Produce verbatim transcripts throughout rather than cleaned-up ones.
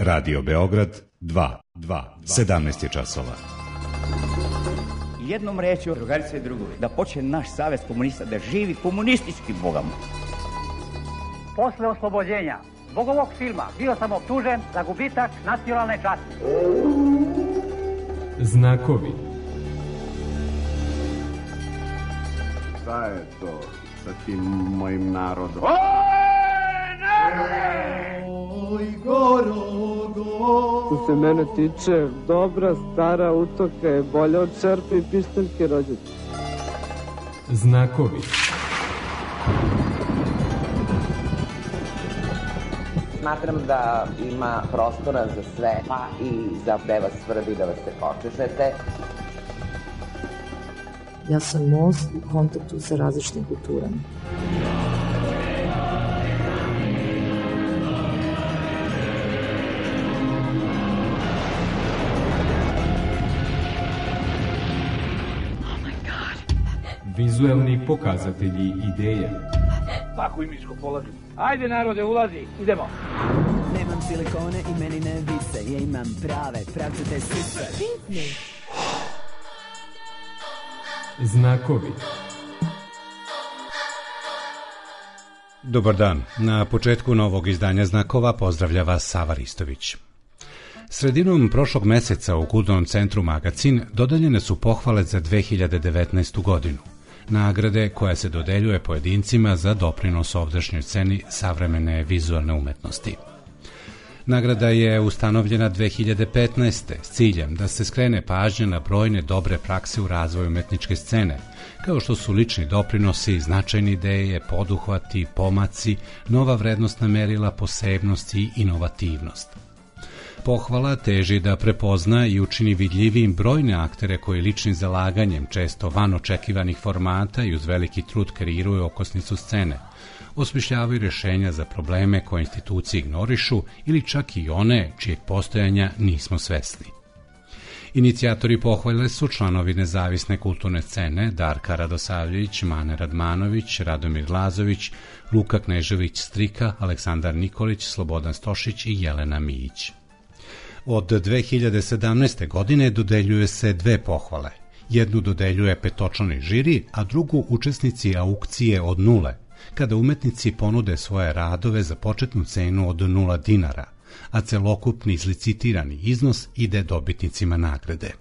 Radio Beograd dva, sedamnaest je časova. Jednom rečju, drugarice i drugovi, da počne naš savez komunista da živi komunistički bogama. Posle oslobođenja zbog ovog filma bio sam optužen za gubitak nacionalne časti. Znakovi. Šta je to sa tim mojim narodom? Oj, narode! Oj, gorogo! Što se mene tiče, dobra stara utoka je bolja od čerpe i pištaljke rođaka. Znakovi. Smatram da ima prostora za sve, pa i za gde vas svrbi da vas se počešete. Ja sam most u kontaktu sa različitim kulturama. Vizuelni pokazatelji ideja. Svaku imičku polazi. Ajde narode, ulazi, idemo. Nemam silikone i meni ne vise, ja imam prave, pravcate sise. Znakovi. Dobar dan. Na početku novog izdanja Znakova pozdravlja vas Sava Ristović. Sredinom prošlog meseca u Kulturnom centru Magacin dodeljene su pohvale za dve hiljade devetnaestu godinu. Nagrade koja se dodeljuje pojedincima za doprinos ovdašnjoj sceni savremene vizualne umetnosti. Nagrada je ustanovljena dve hiljade petnaeste. s ciljem da se skrene pažnja na brojne dobre prakse u razvoju umetničke scene, kao što su lični doprinosi, značajne ideje, poduhvati, pomaci, nova vrednostna merila, posebnost i inovativnost. Pohvala teži da prepozna i učini vidljivijim brojne aktere koji ličnim zalaganjem, često van očekivanih formata i uz veliki trud kreiruju okosnicu scene, osmišljavaju rješenja za probleme koje institucije ignorišu ili čak i one čijeg postojanja nismo svesni. Inicijatori pohvale su članovi nezavisne kulturne scene Darka Radosavljević, Mane Radmanović, Radomir Lazović, Luka Knežević-Strika, Aleksandar Nikolić, Slobodan Stošić i Jelena Mijić. Od dve hiljade sedamnaeste. godine dodeljuje se dve pohvale. Jednu dodeljuje petočlani žiri, a drugu učesnici aukcije od nule, kada umetnici ponude svoje radove za početnu cenu od nula dinara, a celokupni izlicitirani iznos ide dobitnicima nagrade.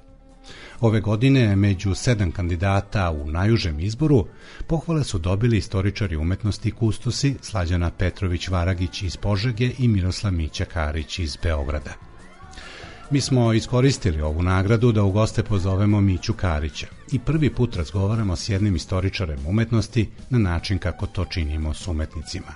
Ove godine među sedam kandidata u najužem izboru pohvale su dobili istoričari umetnosti kustosi Slađana Petrović-Varagić iz Požege i Miroslav Mića Karić iz Beograda. Mi smo iskoristili ovu nagradu da u goste pozovemo Miću Karića i prvi put razgovaramo s jednim istoričarem umetnosti na način kako to činimo s umetnicima.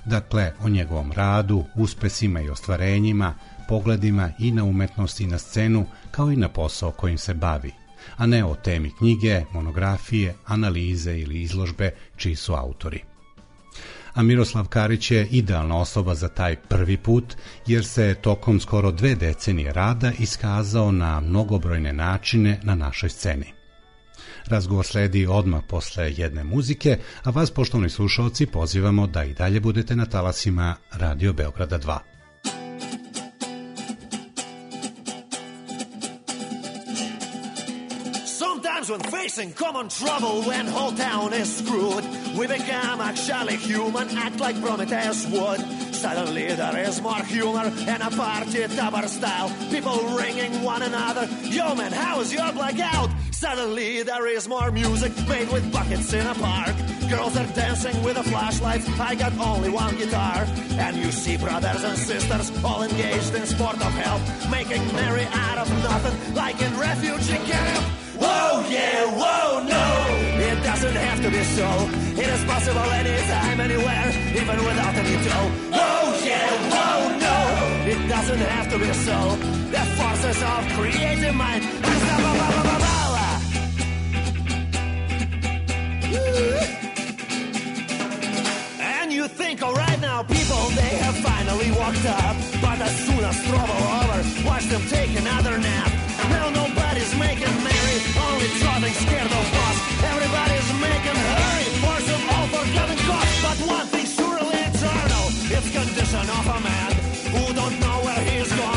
Dakle, o njegovom radu, uspesima i ostvarenjima, pogledima i na umetnost i na scenu, kao i na posao kojim se bavi, a ne o temi knjige, monografije, analize ili izložbe čiji su autori. A Miroslav Karić je idealna osoba za taj prvi put, jer se tokom skoro dve decenije rada iskazao na mnogobrojne načine na našoj sceni. Razgovor sledi odmah posle jedne muzike, a vas, poštovani slušalci, pozivamo da i dalje budete na talasima Radio Beograda dva. When facing common trouble, when whole town is screwed, we become actually human, act like Prometheus would. Suddenly there is more humor in a party tupper style. People ringing one another, yo man, how is your blackout? Suddenly there is more music made with buckets in a park. Girls are dancing with the flashlights, I got only one guitar. And you see brothers and sisters all engaged in sport of hell, making merry out of nothing, like in refugee camp. Whoa, yeah, whoa, no, it doesn't have to be so. It is possible anytime, anywhere, even without any dough. Whoa, yeah, whoa, no, it doesn't have to be so. The forces of creative mind. And you think, all right now, people, they have finally walked up. But as soon as trouble over, watch them take another nap. Now nobody's making merry, only trotting scared of boss. Everybody's making hurry, for some all forgotten cause. But one thing's surely eternal, it's condition of a man who don't know where he's gone.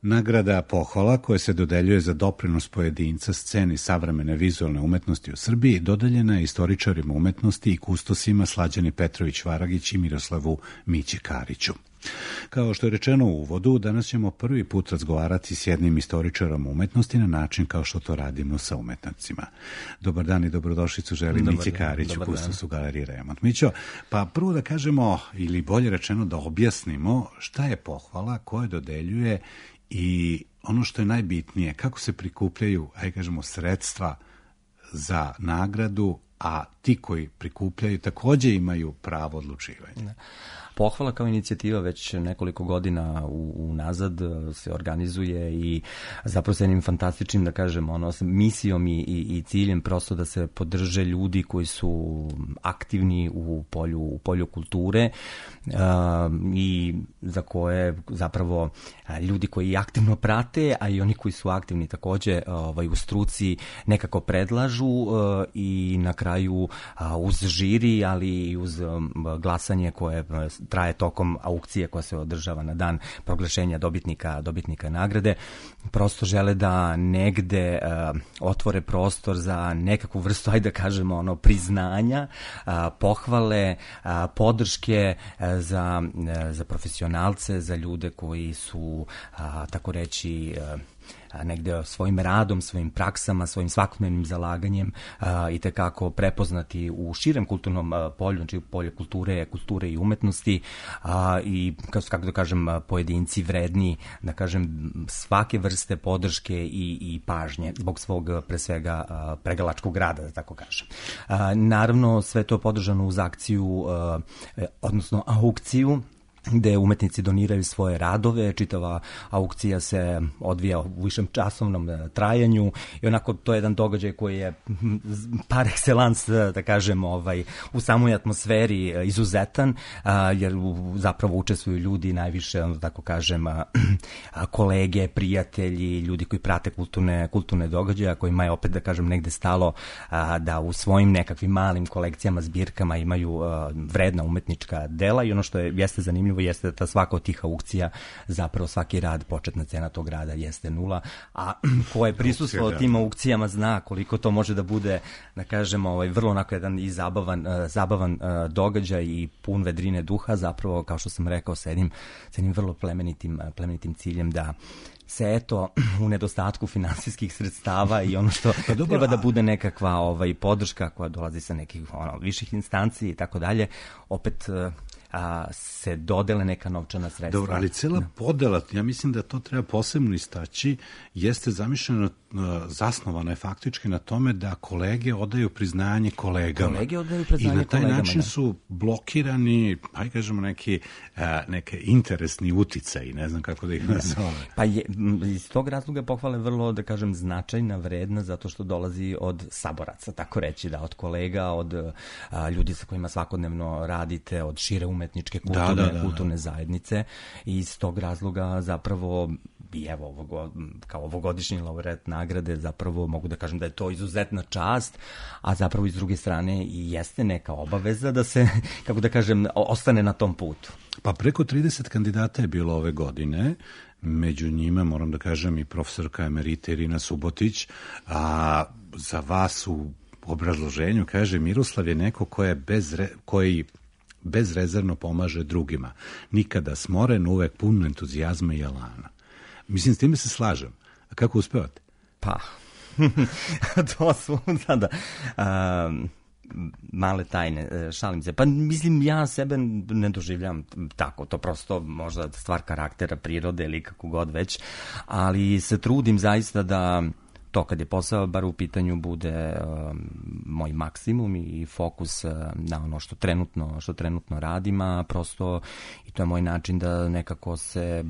Nagrada pohvala koja se dodeljuje za doprinos pojedinca sceni savremene vizualne umetnosti u Srbiji dodeljena je istoričarima umetnosti i kustosima Slađani Petrović Varagić i Miroslavu Mići Kariću. Kao što je rečeno u uvodu, danas ćemo prvi put razgovarati s jednim istoričarom umetnosti na način kao što to radimo sa umetnicima. Dobar dan i dobrodošlicu želim Mići Karić u kustosu Galerije Remont. Mićo, pa prvo da kažemo, ili bolje rečeno da objasnimo šta je pohvala, koje dodeljuje i ono što je najbitnije, kako se prikupljaju, ajde kažemo, sredstva za nagradu, a ti koji prikupljaju takođe imaju pravo odlučivanja. Pohvala kao inicijativa već nekoliko godina unazad se organizuje i zapravo sa jednim fantastičnim, da kažem, ono, misijom i, i, i ciljem prosto da se podrže ljudi koji su aktivni u polju, u polju kulture uh, i za koje zapravo ljudi koji aktivno prate, a i oni koji su aktivni takođe ovaj, u struci nekako predlažu uh, i na kraju uh, uz žiri, ali i uz um, glasanje koje traje tokom aukcije koja se održava na dan proglašenja dobitnika, dobitnika nagrade, prosto žele da negde uh, otvore prostor za nekakvu vrstu, ajde da kažemo, ono, priznanja, uh, pohvale, uh, podrške uh, za, uh, za profesionalce, za ljude koji su, uh, tako reći, uh, negde svojim radom, svojim praksama, svojim svakodnevnim zalaganjem a, i tekako prepoznati u širem kulturnom a, polju, znači polje kulture, kulture i umetnosti a, i, kako da kažem, pojedinci vredni, da kažem, svake vrste podrške i, i pažnje zbog svog, pre svega, a, pregalačkog rada, da tako kažem. A, naravno, sve to je podržano uz akciju, a, odnosno aukciju, gde umetnici doniraju svoje radove, čitava aukcija se odvija u višem časovnom trajanju i onako to je jedan događaj koji je par excellence, da kažem, ovaj, u samoj atmosferi izuzetan, jer zapravo učestvuju ljudi najviše, da tako kažem, kolege, prijatelji, ljudi koji prate kulturne, kulturne događaje, kojima je opet, da kažem, negde stalo da u svojim nekakvim malim kolekcijama, zbirkama imaju vredna umetnička dela i ono što je, jeste zanimljivo jeste da svaka od tih aukcija, zapravo svaki rad, početna cena tog rada jeste nula, a ko je prisustvovao tim aukcijama zna koliko to može da bude, da kažemo, ovaj, vrlo onako jedan i zabavan, uh, zabavan uh, događaj i pun vedrine duha, zapravo, kao što sam rekao, sa jednim, sa jednim vrlo plemenitim, plemenitim ciljem da se eto u nedostatku finansijskih sredstava i ono što pa dobro, treba da bude nekakva ovaj podrška koja dolazi sa nekih ono, viših instanci i tako dalje, opet a, se dodele neka novčana sredstva. Dobro, ali cela podela, ja mislim da to treba posebno istaći, jeste zamišljeno, zasnovana je faktički na tome da kolege odaju priznanje kolegama. Kolege odaju priznanje kolegama. I na taj kolegama, način ne? su blokirani, pa kažemo, neki, neke interesni uticaji, ne znam kako da ih nazove. Pa je, iz tog razloga pohvale vrlo, da kažem, značajna, vredna, zato što dolazi od saboraca, tako reći, da, od kolega, od a, ljudi sa kojima svakodnevno radite, od šire umetničke kulturne, da, da, da, kulturne da. zajednice i iz tog razloga zapravo i evo, ovog, kao ovogodišnji laureat nagrade, zapravo mogu da kažem da je to izuzetna čast, a zapravo iz druge strane i jeste neka obaveza da se, kako da kažem, ostane na tom putu. Pa preko trideset kandidata je bilo ove godine. među njima, moram da kažem, i profesorka emerita Irina Subotić, a za vas u obrazloženju kaže Miroslav je neko koji, je bez re, koji bezrezervno pomaže drugima. Nikada smoren, uvek pun entuzijazma i elana. Mislim, s time se slažem. A kako uspevate? Pa, to su, da, da. Um, male tajne, šalim se. Pa mislim, ja sebe ne doživljam tako, to prosto možda stvar karaktera, prirode ili kako god već, ali se trudim zaista da to kad je posao bar u pitanju bude um, moj maksimum i fokus uh, na ono što trenutno, što trenutno radim, a prosto i to je moj način da nekako se,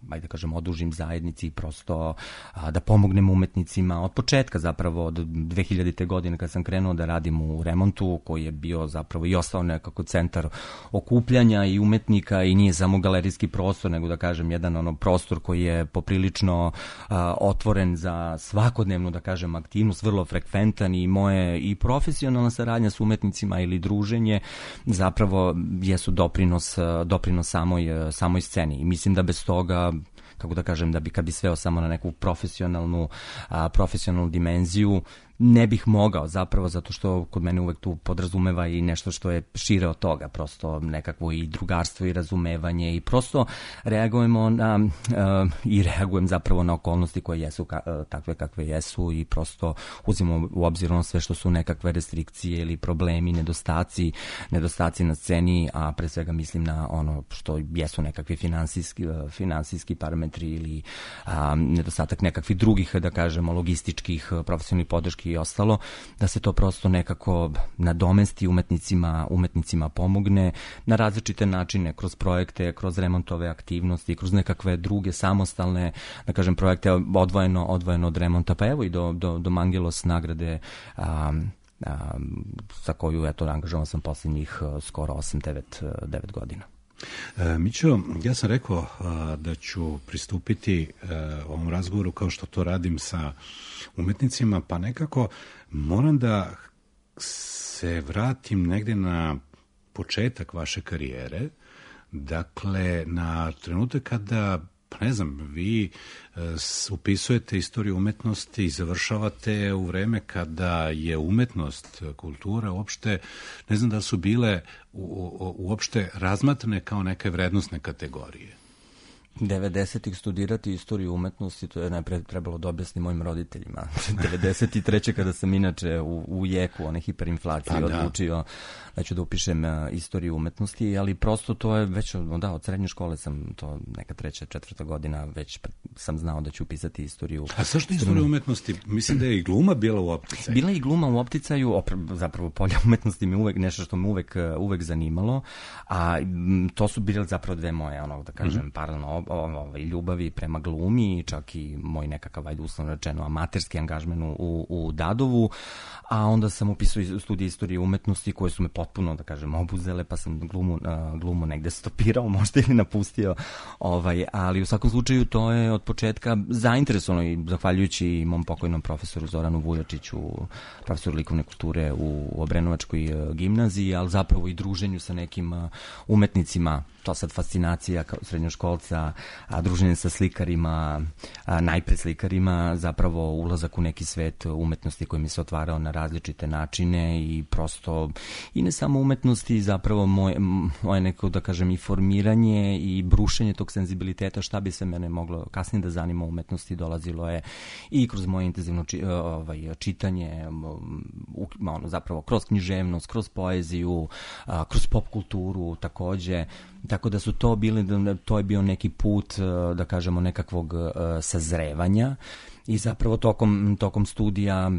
ajde da kažem, odužim zajednici i prosto uh, da pomognem umetnicima od početka zapravo od dve hiljadite godine kad sam krenuo da radim u remontu koji je bio zapravo i ostao nekako centar okupljanja i umetnika i nije samo galerijski prostor nego da kažem jedan ono prostor koji je poprilično uh, otvoren za svako svakodnevno, da kažem, aktivnost, vrlo frekventan i moje i profesionalna saradnja s umetnicima ili druženje zapravo jesu doprinos, doprinos samoj, samoj sceni. I mislim da bez toga, kako da kažem, da bi kad bi sveo samo na neku profesionalnu, a, profesionalnu dimenziju, ne bih mogao zapravo, zato što kod mene uvek tu podrazumeva i nešto što je šire od toga, prosto nekakvo i drugarstvo i razumevanje i prosto reagujemo na, uh, i reagujem zapravo na okolnosti koje jesu ka, uh, takve kakve jesu i prosto uzimamo u obzir ono sve što su nekakve restrikcije ili problemi, nedostaci, nedostaci na sceni, a pre svega mislim na ono što jesu nekakvi finansijski, uh, finansijski parametri ili um, nedostatak nekakvih drugih, da kažemo, logističkih, profesionalnih podrški i ostalo, da se to prosto nekako nadomesti umetnicima, umetnicima pomogne na različite načine, kroz projekte, kroz remontove aktivnosti, kroz nekakve druge samostalne, da kažem, projekte odvojeno, odvojeno od remonta, pa evo i do, do, do Mangelos nagrade um, um, sa koju, eto, angažovan sam posljednjih skoro osam devet godina. E, Mićo, ja sam rekao a, da ću pristupiti a, ovom razgovoru kao što to radim sa umetnicima, pa nekako moram da se vratim negde na početak vaše karijere, dakle na trenutak kada, pa ne znam, vi e, upisujete istoriju umetnosti i završavate u vreme kada je umetnost, kultura uopšte, ne znam da su bile u, u, uopšte razmatrane kao neke vrednosne kategorije. devedesetih studirati istoriju umetnosti, to je najpre trebalo da objasnim mojim roditeljima. devedeset treće kada sam inače u, u jeku one hiperinflacije pa, odlučio da ću da upišem uh, istoriju umetnosti, ali prosto to je već, da, od srednje škole sam to neka treća, četvrta godina već sam znao da ću upisati istoriju. A zašto istoriju umetnosti? Mislim da je i gluma bila u opticaju. Bila je i gluma u opticaju, opre, zapravo polje umetnosti mi uvek nešto što me uvek, uvek zanimalo, a m, to su bile zapravo dve moje, ono, da kažem, mm-hmm. paralelno ovaj, ljubavi prema glumi, čak i moj nekakav, ajde uslovno rečeno, amaterski angažman u, u Dadovu, a onda sam upisao studije istorije umetnosti koje su me potpuno, da kažem, obuzele, pa sam glumu, uh, glumu negde stopirao, možda ili napustio, ovaj, ali u svakom slučaju to je od početka zainteresovano i zahvaljujući mom pokojnom profesoru Zoranu Vujačiću, profesoru likovne kulture u Obrenovačkoj uh, gimnaziji, ali zapravo i druženju sa nekim uh, umetnicima, to sad fascinacija kao srednjoškolca, a druženje sa slikarima, a najpre slikarima, zapravo ulazak u neki svet umetnosti koji mi se otvarao na različite načine i prosto, i ne samo umetnosti, zapravo moje, moje neko, da kažem, i formiranje i brušenje tog senzibiliteta, šta bi se mene moglo kasnije da zanima umetnosti, dolazilo je i kroz moje intenzivno či, ovaj, čitanje, ono, zapravo kroz književnost, kroz poeziju, kroz pop kulturu takođe. Tako da su to bili, to je bio neki put, da kažemo, nekakvog sazrevanja i zapravo tokom, tokom studija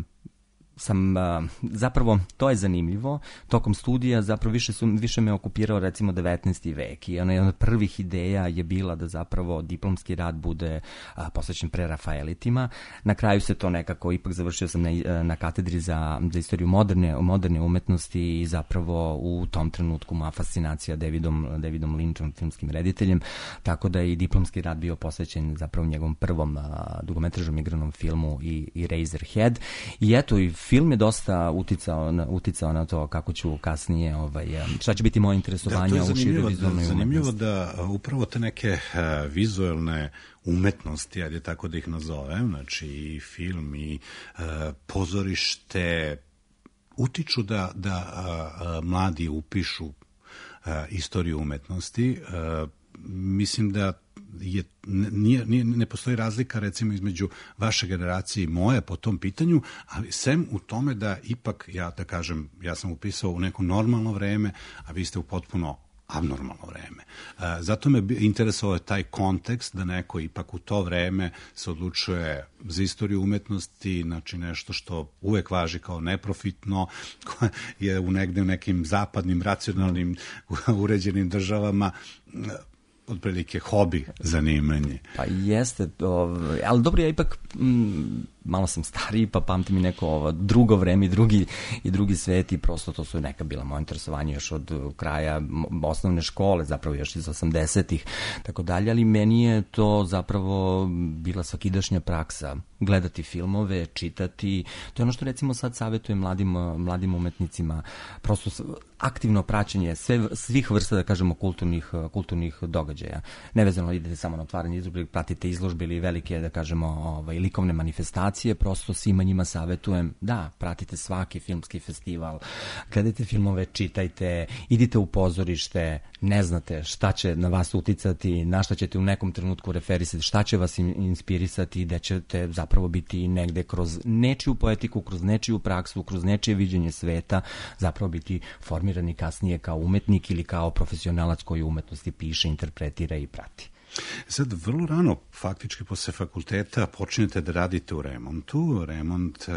sam, zapravo, to je zanimljivo, tokom studija zapravo više, su, više me okupirao recimo devetnaesti vek i ona od prvih ideja je bila da zapravo diplomski rad bude a, posvećen prerafaelitima. Na kraju se to nekako, ipak završio sam na, na katedri za, za istoriju moderne, moderne umetnosti i zapravo u tom trenutku moja fascinacija Davidom, Davidom Lynchom, filmskim rediteljem, tako da je i diplomski rad bio posvećen zapravo njegovom prvom a, dugometražnom igranom filmu i, i Razorhead. I eto, i film je dosta uticao na, uticao na to kako ću kasnije, ovaj, šta će biti moje interesovanje u široj vizualnoj umetnosti. Zanimljivo da upravo te neke uh, vizualne umetnosti, ajde tako da ih nazovem, znači i film i uh, pozorište, utiču da, da uh, mladi upišu uh, istoriju umetnosti. Uh, mislim da je, nije, nije, ne postoji razlika recimo između vaše generacije i moje po tom pitanju, ali sem u tome da ipak, ja da kažem, ja sam upisao u neko normalno vreme, a vi ste u potpuno abnormalno vreme. E, zato me interesovao taj kontekst da neko ipak u to vreme se odlučuje za istoriju umetnosti, znači nešto što uvek važi kao neprofitno, koje je u negde u nekim zapadnim, racionalnim, uređenim državama otprilike hobi, zanimanje. Pa jeste, ovaj, ali dobro, ja ipak m, malo sam stariji, pa pamtim i neko ovo drugo vreme i drugi, i drugi svet i prosto to su neka bila moja interesovanja još od kraja osnovne škole, zapravo još iz osamdesetih, tako dalje, ali meni je to zapravo bila svakidašnja praksa. Gledati filmove, čitati, to je ono što recimo sad savjetujem mladim, mladim umetnicima, prosto aktivno praćenje sve, svih vrsta, da kažemo, kulturnih, kulturnih događaja. Nevezano idete samo na otvaranje izložbe, pratite izložbe ili velike, da kažemo, ovaj, likovne manifestacije, prosto svima njima savjetujem, da, pratite svaki filmski festival, gledajte filmove, čitajte, idite u pozorište, ne znate šta će na vas uticati, na šta ćete u nekom trenutku referisati, šta će vas inspirisati, gde ćete zapravo biti negde kroz nečiju poetiku, kroz nečiju praksu, kroz nečije viđenje sveta, zapravo biti formirani kasnije kao umetnik ili kao profesionalac koji umetnosti piše, interpretira i prati. Sad, vrlo rano, faktički posle fakulteta, počinjete da radite u remontu. Remont,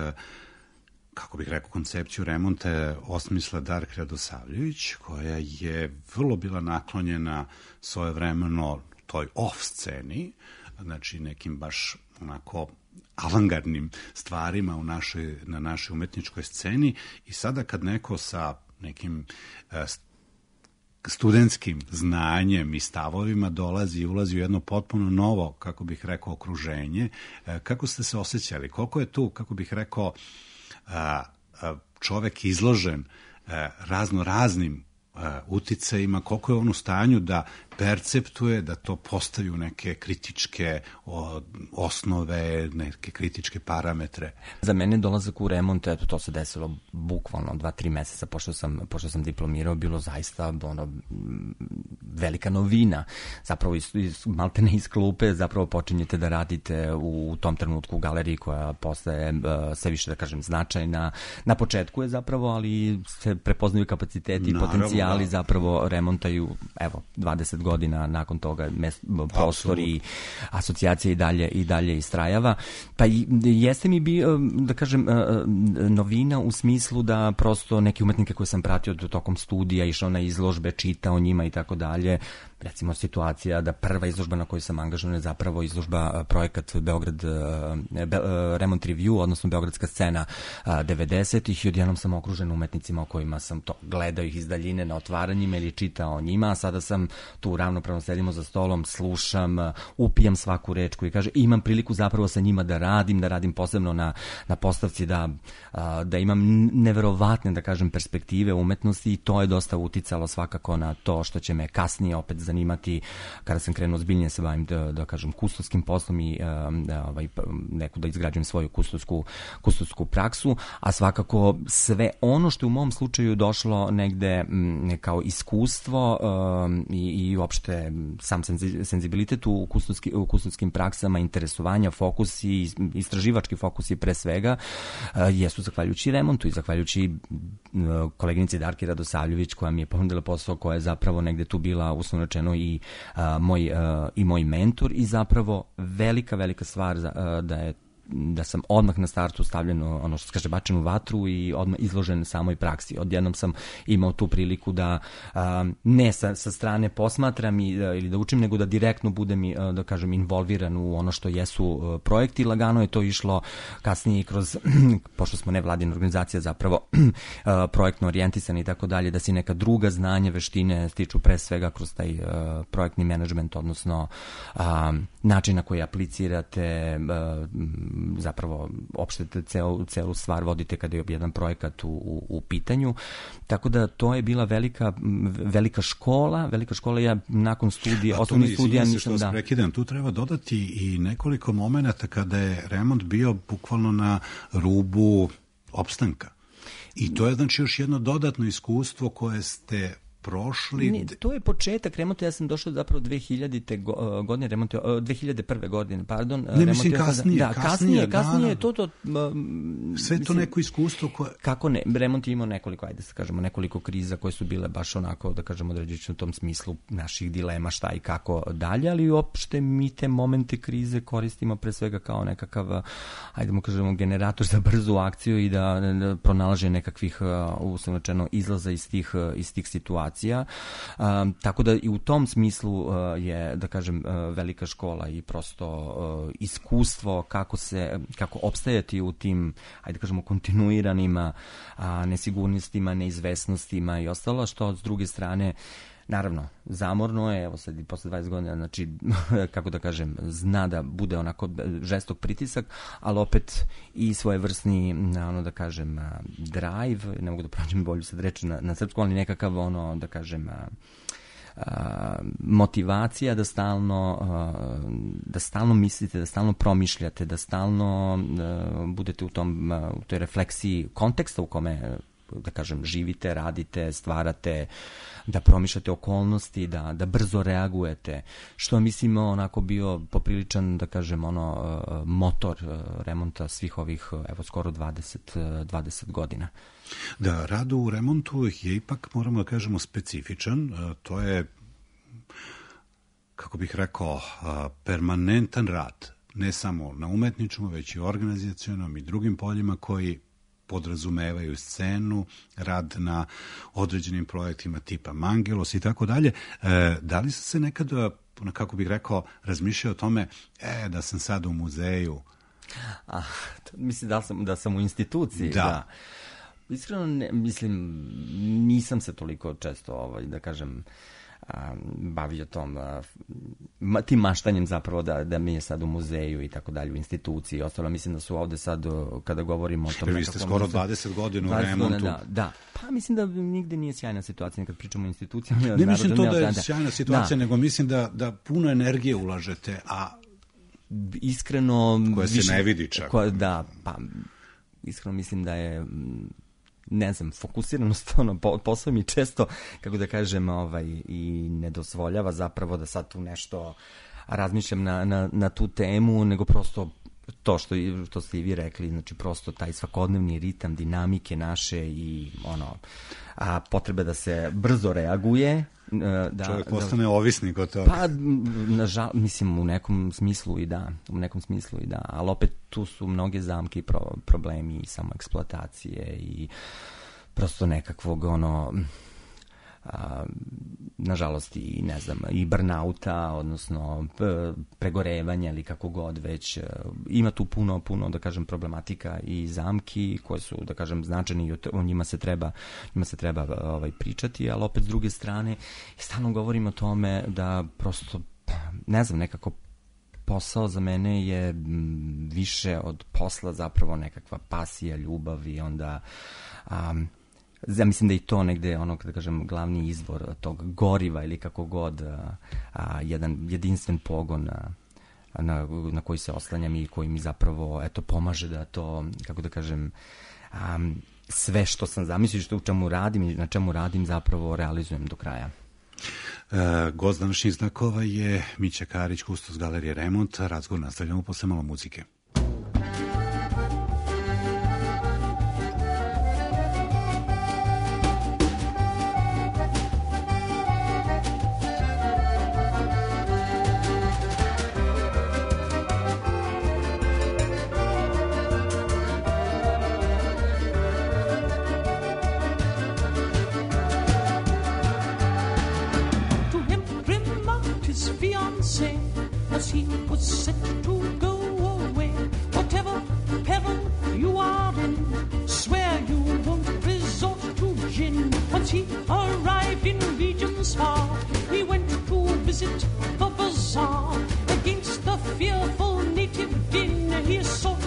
kako bih rekao, koncepciju remonta je osmisla Darka Radosavljević, koja je vrlo bila naklonjena svojevremeno toj off sceni, znači nekim baš onako avangardnim stvarima u našoj, na našoj umetničkoj sceni. I sada kad neko sa nekim uh, studentskim znanjem i stavovima dolazi i ulazi u jedno potpuno novo, kako bih rekao, okruženje, uh, kako ste se osjećali? Koliko je tu, kako bih rekao, uh, uh, čovek izložen uh, razno raznim uh, uticajima, koliko je on u stanju da perceptuje, da to postavi u neke kritičke o, osnove, neke kritičke parametre. Za mene dolazak u remont, eto, to se desilo bukvalno dva, tri meseca pošto sam, pošto sam diplomirao, bilo zaista ono, velika novina. Zapravo iz, iz, malte ne iz klupe, zapravo počinjete da radite u, u tom trenutku u galeriji koja postaje uh, sve više, da kažem, značajna. Na početku je zapravo, ali se prepoznaju kapaciteti i potencijali, da. Zapravo remontaju, evo, dvadeset godina nakon toga mes, prostor i asocijacija i dalje i dalje istrajava. Pa i, jeste mi bi, da kažem, novina u smislu da prosto neke umetnike koje sam pratio tokom studija, išao na izložbe, čitao njima i tako dalje. Recimo situacija da prva izložba na kojoj sam angažovan je zapravo izložba projekat Beograd Be, Remont Review, odnosno Beogradska scena devedesetih i odjednom sam okružen umetnicima o kojima sam to gledao ih iz daljine na otvaranjima ili čitao o njima, a sada sam tu ravnopravno sedimo za stolom, slušam, upijam svaku reč koju kaže, imam priliku zapravo sa njima da radim, da radim posebno na, na postavci, da, da imam neverovatne, da kažem, perspektive umetnosti i to je dosta uticalo svakako na to što će me kasnije opet zanimati kada sam krenuo zbiljnije se bavim, da, da kažem, kustoskim poslom i da, ovaj, neku da izgrađujem svoju kustosku, kustosku praksu, a svakako sve ono što u mom slučaju došlo negde m, kao iskustvo um, i, i uopšte sam senzibilitet u, kustoski, u kustoskim praksama, interesovanja, fokusi, istraživački fokusi pre svega, uh, jesu zahvaljujući remontu i zahvaljujući uh, koleginici Darki Radosavljević koja mi je ponudila posao, koja je zapravo negde tu bila uslovno rečeno i, uh, moj, uh, i moj mentor i zapravo velika, velika stvar uh, da je da sam odmah na startu stavljen, ono što se kaže, bačen u vatru i odmah izložen samoj praksi. Odjednom sam imao tu priliku da a, ne sa, sa strane posmatram i, da, ili da učim, nego da direktno budem, da kažem, involviran u ono što jesu projekti. Lagano je to išlo kasnije kroz, pošto smo nevladina organizacija zapravo projektno orijentisani i tako dalje, da si neka druga znanja, veštine stiču pre svega kroz taj a, projektni menadžment, odnosno a, način na koji aplicirate, a, zapravo opšte celu, celu stvar vodite kada je jedan projekat u, u, u pitanju. Tako da to je bila velika, velika škola, velika škola. Ja nakon studija, osnovnih studija nisam da... Prekidam, tu treba dodati i nekoliko momenata kada je remont bio bukvalno na rubu opstanka. I to je znači još jedno dodatno iskustvo koje ste prošli. Ne, to je početak remonta, ja sam došao zapravo dve hiljadite godine, remont, dve hiljade prve godine, pardon. Ne, mislim kasnije. Da, kasnije, kasnije, to to... Sve to mislim, neko iskustvo koje... Kako ne, remont je imao nekoliko, ajde se kažemo, nekoliko kriza koje su bile baš onako, da kažemo, određujući u tom smislu naših dilema šta i kako dalje, ali uopšte mi te momente krize koristimo pre svega kao nekakav, ajde mu kažemo, generator za brzu akciju i da, da pronalaže nekakvih, uslovno rečeno, izlaza iz tih, iz tih situacija. Um, tako da i u tom smislu uh, je, da kažem, uh, velika škola i prosto uh, iskustvo kako se, kako opstajati u tim, ajde da kažemo, kontinuiranim uh, nesigurnostima, neizvesnostima i ostalo, što s druge strane naravno, zamorno je, evo sad i posle dvadeset godina, znači, kako da kažem, zna da bude onako žestok pritisak, ali opet i svojevrsni, ono da kažem, drive, ne mogu da pronađem bolju sad reći na, na srpsku, ali nekakav, ono, da kažem, motivacija da stalno, da stalno mislite, da stalno promišljate, da stalno budete u tom, u toj refleksiji konteksta u kome, da kažem, živite, radite, stvarate, da promišljate okolnosti, da, da brzo reagujete, što mislim onako bio popriličan, da kažem, ono, motor remonta svih ovih, evo, skoro dvadeset, dvadeset godina. Da, rad u remontu je ipak, moramo da kažemo, specifičan. To je, kako bih rekao, permanentan rad. Ne samo na umetničkom, već i organizacionom i drugim poljima koji podrazumevaju scenu, rad na određenim projektima tipa Mangelos i tako dalje. Da li sam se nekada, kako bih rekao, razmišljao o tome, e, da sam sad u muzeju? Ah, mislim da sam, da sam u instituciji. Da. da. Iskreno, ne, mislim, nisam se toliko često, ovaj, da kažem, bavio tom ma, tim maštanjem zapravo da, da mi je sad u muzeju i tako dalje, u instituciji i ostalo. Mislim da su ovde sad, kada govorimo o tom... Vi ste skoro dvadeset godina u remontu. Da, da, pa mislim da nigde nije sjajna situacija kad pričamo o institucijama. Ne mislim to da je sjajna situacija, da. Nego mislim da, da puno energije ulažete, a iskreno... Koja se više, ne vidi čak. Koja, da, pa iskreno mislim da je... ne znam, fokusiranost, ono, posao mi često, kako da kažem, ovaj, i ne dozvoljava zapravo da sad tu nešto razmišljam na, na, na tu temu, nego prosto to što, što ste i vi rekli, znači prosto taj svakodnevni ritam, dinamike naše i ono, a, potrebe da se brzo reaguje. Da, čovjek postane da, ovisnik od toga. Pa, nažal, mislim, u nekom smislu i da, u nekom smislu i da, ali opet tu su mnoge zamke i pro, problemi i samo eksploatacije i prosto nekakvog, ono, a, nažalost i, ne znam, i burnouta, odnosno pregorevanja ili kako god već. Ima tu puno, puno, da kažem, problematika i zamki koje su, da kažem, značajni i o njima se treba, njima se treba ovaj, pričati, ali opet s druge strane stalno govorim o tome da prosto, ne znam, nekako posao za mene je više od posla zapravo nekakva pasija, ljubav i onda... Um, ja mislim da i to negde, ono, kada kažem, glavni izvor tog goriva ili kako god, a, a, jedan jedinstven pogon a, na, na koji se oslanjam i koji mi zapravo, eto, pomaže da to, kako da kažem, a, sve što sam zamislio, što u čemu radim i na čemu radim zapravo realizujem do kraja. E, gost današnjih znakova je Mića Karić, kustos Galerije Remont. Razgovor nastavljamo posle malo muzike. As he was set to go away, whatever peril you are in, swear you won't resort to gin. Once he arrived in regions far, he went to visit the bazaar. Against the fearful native din, he sought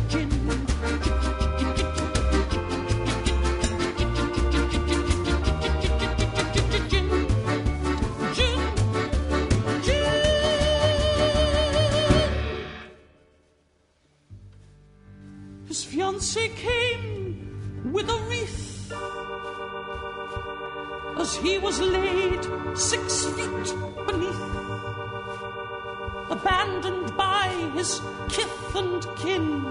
gin. His fiancée came with a wreath as he was laid six feet beneath, abandoned by his kith and kin,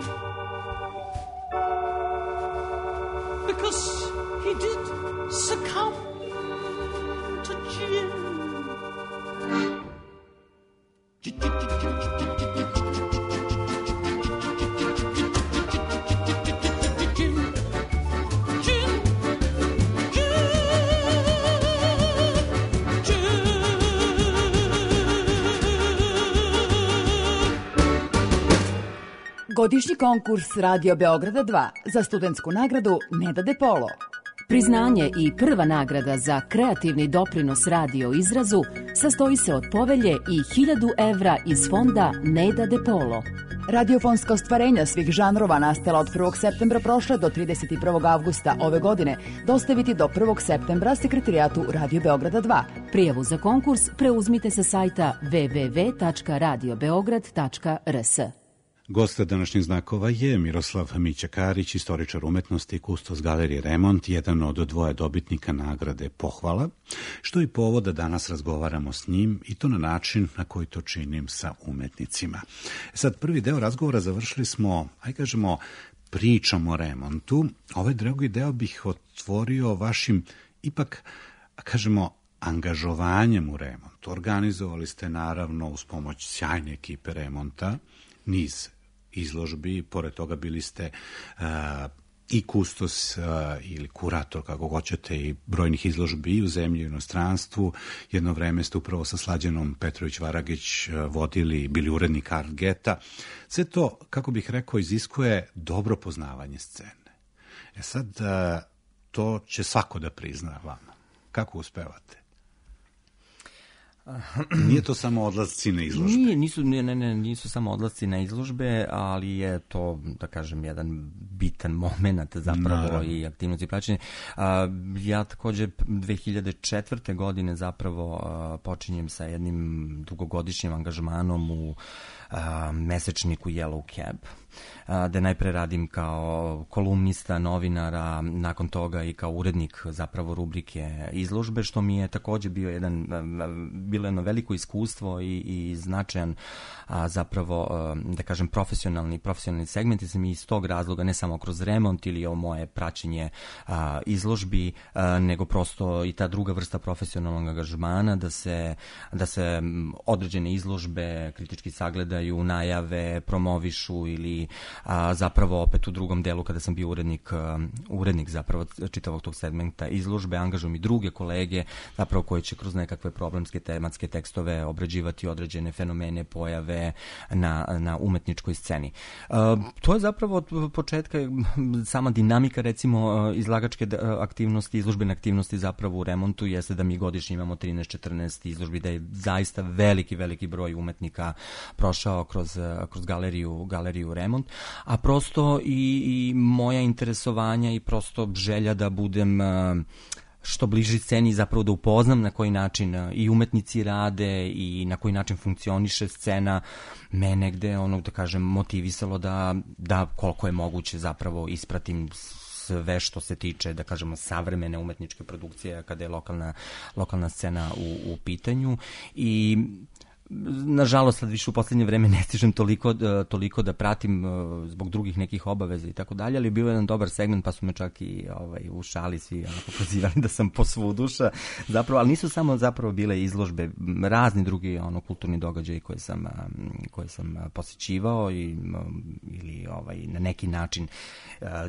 because he did succumb to gin. Godišnji konkurs Radio Beograda dva za studentsku nagradu Neda De Polo. Priznanje i prva nagrada za kreativni doprinos radio izrazu sastoji se od povelje i hiljadu evra iz fonda Neda De Polo. Radiofonska ostvarenja svih žanrova nastala od prvog septembra prošle do trideset prvog avgusta ove godine dostaviti do prvog septembra sekretarijatu Radio Beograda dva. Prijavu za konkurs preuzmite sa sajta w w w tačka radio beograd tačka r s. Gost današnjih znakova je Miroslav Mića Karić, istoričar umetnosti i kustos Galerije Remont, jedan od dvoje dobitnika nagrade Pohvala, što je i povod da danas razgovaramo s njim i to na način na koji to činim sa umetnicima. Sad, prvi deo razgovora završili smo, aj kažemo, pričom o remontu. Ovaj drugi deo bih otvorio vašim, ipak, kažemo, angažovanjem u remontu. Organizovali ste, naravno, uz pomoć sjajne ekipe remonta, niz izložbi, pored toga bili ste uh, i kustos uh, ili kurator, kako hoćete, i brojnih izložbi i u zemlji i u inostranstvu. Jedno vreme ste upravo sa Slađanom Petrović-Varagić uh, vodili, bili urednik Art Geta. Sve to, kako bih rekao, iziskuje dobro poznavanje scene. E sad, uh, to će svako da prizna vama. Kako uspevate? Nije to samo odlasci na izložbe? Nije, nisu, ne, ne, nisu samo odlasci na izložbe, ali je to, da kažem, jedan bitan moment zapravo. Naravno. I aktivnosti praćenja. Ja također dve hiljade četvrte. godine zapravo počinjem sa jednim dugogodišnjim angažmanom u mesečniku Yellow Cab, da najpre radim kao kolumnista, novinara, nakon toga i kao urednik zapravo rubrike izložbe, što mi je također bio jedan, bilo jedno veliko iskustvo i, i značajan zapravo, da kažem, profesionalni, profesionalni segment, i sam iz tog razloga, ne samo kroz remont ili o moje praćenje izložbi, nego prosto i ta druga vrsta profesionalnog angažmana, da se, da se određene izložbe kritički sagledaju, najave, promovišu ili a, zapravo opet u drugom delu kada sam bio urednik, a, urednik zapravo čitavog tog segmenta izložbe, angažujem i druge kolege zapravo koji će kroz nekakve problemske tematske tekstove obrađivati određene fenomene, pojave na, na umetničkoj sceni. A, to je zapravo od početka sama dinamika, recimo, izlagačke aktivnosti, izložbene aktivnosti zapravo u remontu jeste da mi godišnje imamo trinaest četrnaest izložbi, da je zaista veliki, veliki broj umetnika prošao kroz, kroz galeriju, galeriju Remont, a prosto i, i moja interesovanja i prosto želja da budem što bliži sceni, zapravo da upoznam na koji način i umetnici rade i na koji način funkcioniše scena, me negde, ono, da kažem, motivisalo da, da koliko je moguće zapravo ispratim sve što se tiče, da kažemo, savremene umetničke produkcije kada je lokalna, lokalna scena u, u pitanju. I nažalost, sad više u posljednje vreme ne stižem toliko, toliko da pratim zbog drugih nekih obaveza i tako dalje, ali bio je jedan dobar segment, pa su me čak i ovaj, u šali svi onako pozivali da sam posvuduša, zapravo, ali nisu samo zapravo bile izložbe, razni drugi ono, kulturni događaji koje sam, koje sam posjećivao i, ili ovaj, na neki način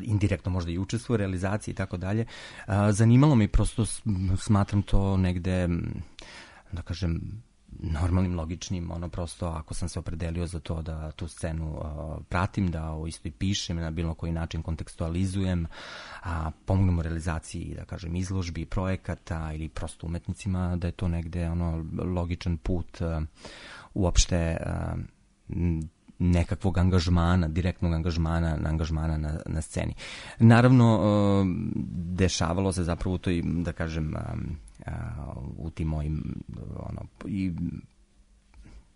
indirektno možda i učestvuo u realizaciji i tako dalje. Zanimalo me i prosto smatram to negde, da kažem, normalnim, logičnim, ono prosto ako sam se opredelio za to da tu scenu uh, pratim, da o istoj pišem, na bilo koji način kontekstualizujem, a pomognem u realizaciji, da kažem, izložbi, projekata ili prosto umetnicima, da je to negde ono logičan put uh, uopšte uh, nekakvog angažmana, direktnog angažmana, angažmana na, na sceni. Naravno, dešavalo se zapravo u toj, da kažem, u tim mojim, ono, i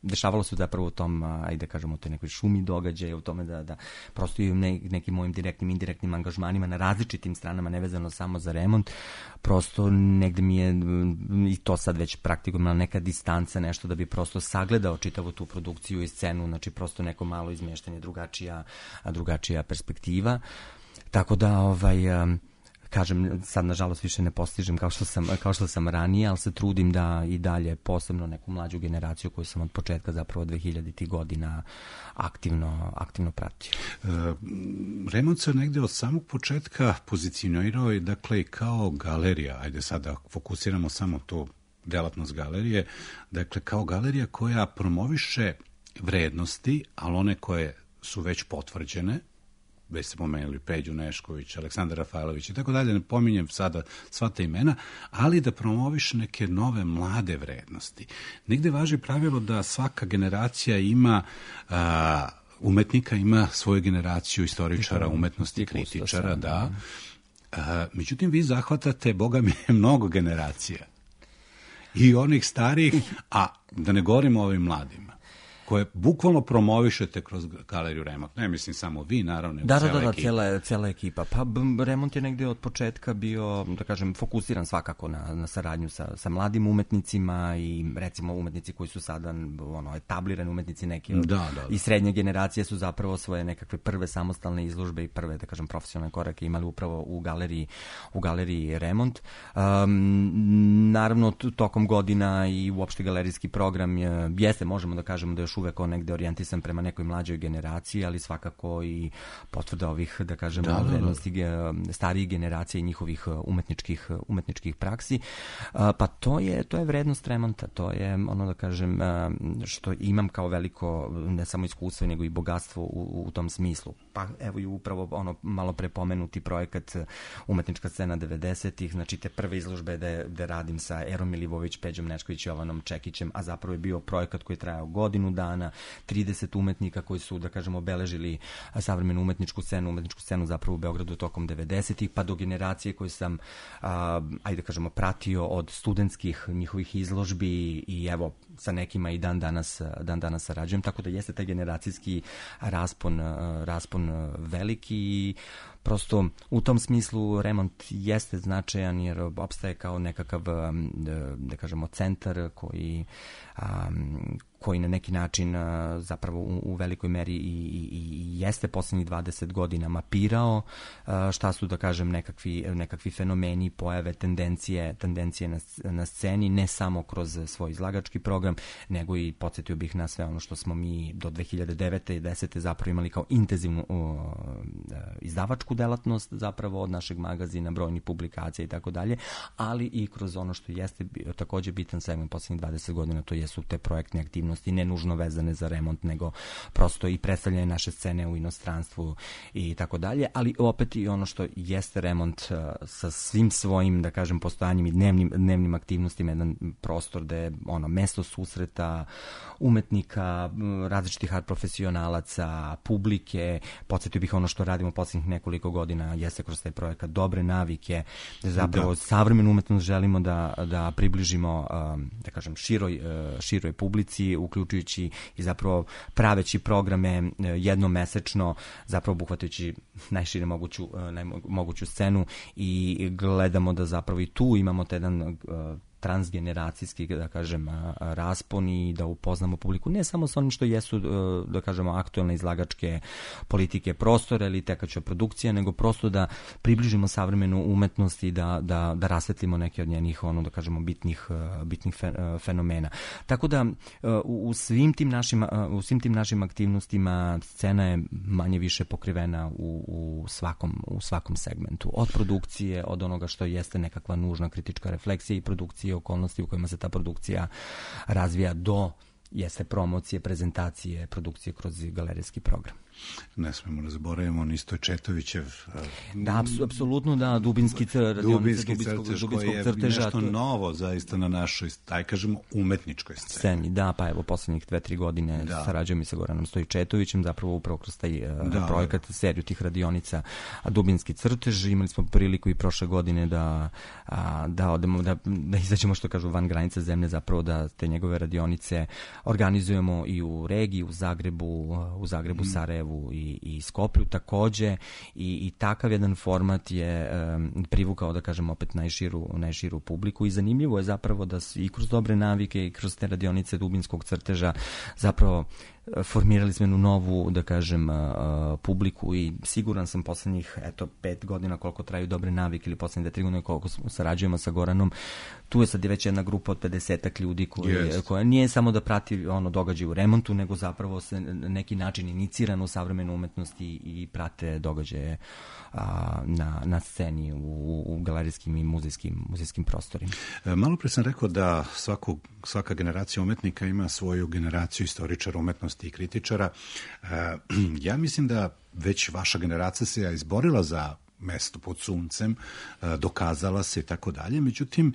dešavalo se zapravo u tom, ajde kažemo, u toj nekoj šumi događaja, u tome da, da prosto i ne, nekim mojim direktnim, indirektnim angažmanima na različitim stranama, nevezano samo za remont, prosto negde mi je, i to sad već praktikujem, neka distanca, nešto da bi prosto sagledao čitavu tu produkciju i scenu, znači prosto neko malo izmještanje, drugačija, drugačija perspektiva. Tako da, ovaj... kažem, sad nažalost više ne postižem kao što sam, kao što sam ranije, ali se trudim da i dalje, posebno neku mlađu generaciju koju sam od početka zapravo dvehiljaditih godina aktivno, aktivno pratio. E, Remont se negde od samog početka pozicionirao i dakle kao galerija, ajde sada fokusiramo samo tu delatnost galerije, dakle kao galerija koja promoviše vrednosti, ali one koje su već potvrđene, već se pomenuli Peđu Nešković, Aleksandar Rafailović i tako dalje, ne pominjem sada sva ta imena, ali da promoviš neke nove mlade vrednosti. Negde važi pravilo da svaka generacija ima a, umetnika, ima svoju generaciju istoričara, umetnosti, kritičara, da. A, međutim, vi zahvatate, boga mi je, mnogo generacija. I onih starijih, a da ne govorimo o ovim mladima, koje bukvalno promovišete kroz galeriju Remont. Ne mislim samo vi, naravno, da, da, da, da, cijela, cijela ekipa. Pa Remont je negde od početka bio, da kažem, fokusiran svakako na, na saradnju sa, sa mladim umetnicima i recimo umetnici koji su sada ono, etablirani umetnici neki da, da, da. I srednje generacije su zapravo svoje nekakve prve samostalne izložbe i prve, da kažem, profesionalne korake imali upravo u galeriji, u galeriji Remont. Um, naravno, tokom godina i uopšte galerijski program je, jeste, možemo da kažemo da još uvek on negde orijentisan prema nekoj mlađoj generaciji, ali svakako i potvrda ovih, da kažemo, da, vrednosti da, da. starijih generacija i njihovih umetničkih, umetničkih praksi. Pa to je, to je vrednost Remonta, to je ono, da kažem, što imam kao veliko, ne samo iskustvo, nego i bogatstvo u, u tom smislu. Pa evo i upravo ono malo prepomenuti projekat Umetnička scena devedesetih, znači te prve izložbe da, da radim sa Erom Milivović, Peđom Nešković, Jovanom Čekićem, a zapravo je bio projekat koji je trajao godinu dana, trideset umetnika koji su, da kažemo, obeležili savremenu umetničku scenu, umetničku scenu zapravo u Beogradu tokom devedesetih, pa do generacije koje sam, a, ajde da kažemo, pratio od studentskih njihovih izložbi i evo, sa nekima i dan danas, dan danas sarađujem, tako da jeste taj generacijski raspon, raspon veliki i prosto u tom smislu Remont jeste značajan jer opstaje kao nekakav, da kažemo, centar koji, koji na neki način zapravo u, u velikoj meri i, i, i jeste poslednjih dvadeset godina mapirao šta su, da kažem, nekakvi, nekakvi fenomeni, pojave, tendencije, tendencije na, na sceni, ne samo kroz svoj izlagački program, nego i podsjetio bih na sve ono što smo mi do dve hiljade devete i desete zapravo imali kao intenzivnu uh, izdavačku delatnost zapravo od našeg magazina, brojnih publikacija i tako dalje, ali i kroz ono što jeste takođe bitan segment poslednjih dvadeset godina, to jesu te projektne aktivnosti, ne nužno vezane za Remont, nego prosto i predstavljanje naše scene u inostranstvu i tako dalje, ali opet i ono što jeste Remont uh, sa svim svojim, da kažem, postojanjem i dnevnim, dnevnim aktivnostima, jedan prostor da je ono mesto susreta umetnika, različitih art profesionalaca, publike. Podsjetio bih ono što radimo poslednjih nekoliko godina jeste kroz taj projekat Dobre navike, da zapravo da. savremenu umetnost želimo da, da približimo, da kažem, široj, široj publici, uključujući i zapravo praveći programe jednomesečno, zapravo obuhvatajući najšire moguću, najmoguću scenu i gledamo da zapravo i tu imamo taj jedan transgeneracijski, da kažem, raspon i da upoznamo publiku ne samo sa onim što jesu, da kažemo, aktuelne izlagačke politike prostora ili tekaća produkcija, nego prosto da približimo savremenu umetnost i da, da, da rasvetlimo neke od njenih, ono, da kažemo, bitnih, bitnih fenomena. Tako da u svim tim našim, u svim tim našim aktivnostima scena je manje više pokrivena u, u, svakom, u svakom segmentu. Od produkcije, od onoga što jeste nekakva nužna kritička refleksija i produkcija, okolnosti u kojima se ta produkcija razvija, do jeste promocije, prezentacije, produkcije kroz galerijski program. Ne smemo da zaboravimo ni Stojčetovićev. Da, apsolutno da, Dubinski crtež, Dubinski crtež koji je crteža, nešto novo zaista na našoj, taj kažemo, umetničkoj sceni. sceni. Da, pa evo, poslednjih dve, tri godine da. sarađujem i sa Goranom Stojčetovićem, zapravo upravo kroz taj da, projekat, seriju tih radionica Dubinski crtež. Imali smo priliku i prošle godine da, da odemo, da, da izađemo, što kažu, van granica zemlje, zapravo da te njegove radionice organizujemo i u regiji, u Zagrebu, u Zagrebu, mm. Sarajevu i, i Skoplju takođe i, i takav jedan format je um, privukao, da kažem, opet najširu, najširu publiku i zanimljivo je zapravo da i kroz dobre navike i kroz te radionice Dubinskog crteža zapravo formirali smo jednu novu, da kažem, publiku i siguran sam poslednjih, eto, pet godina koliko traju dobre navike ili poslednje tri godine koliko sarađujemo sa Goranom, tu je sad već jedna grupa od pedesetak ljudi koji, yes. koja nije samo da prati ono događaj u remontu, nego zapravo se na neki način inicirano u savremenu umetnost i, i prate događaje a, na, na sceni u, u galerijskim i muzejskim, muzejskim prostorima. E, malo pre sam rekao da svaku, svaka generacija umetnika ima svoju generaciju istoričara umetnosti i kritičara. E, ja mislim da već vaša generacija se je izborila za mesto pod suncem, dokazala se i tako dalje. Međutim,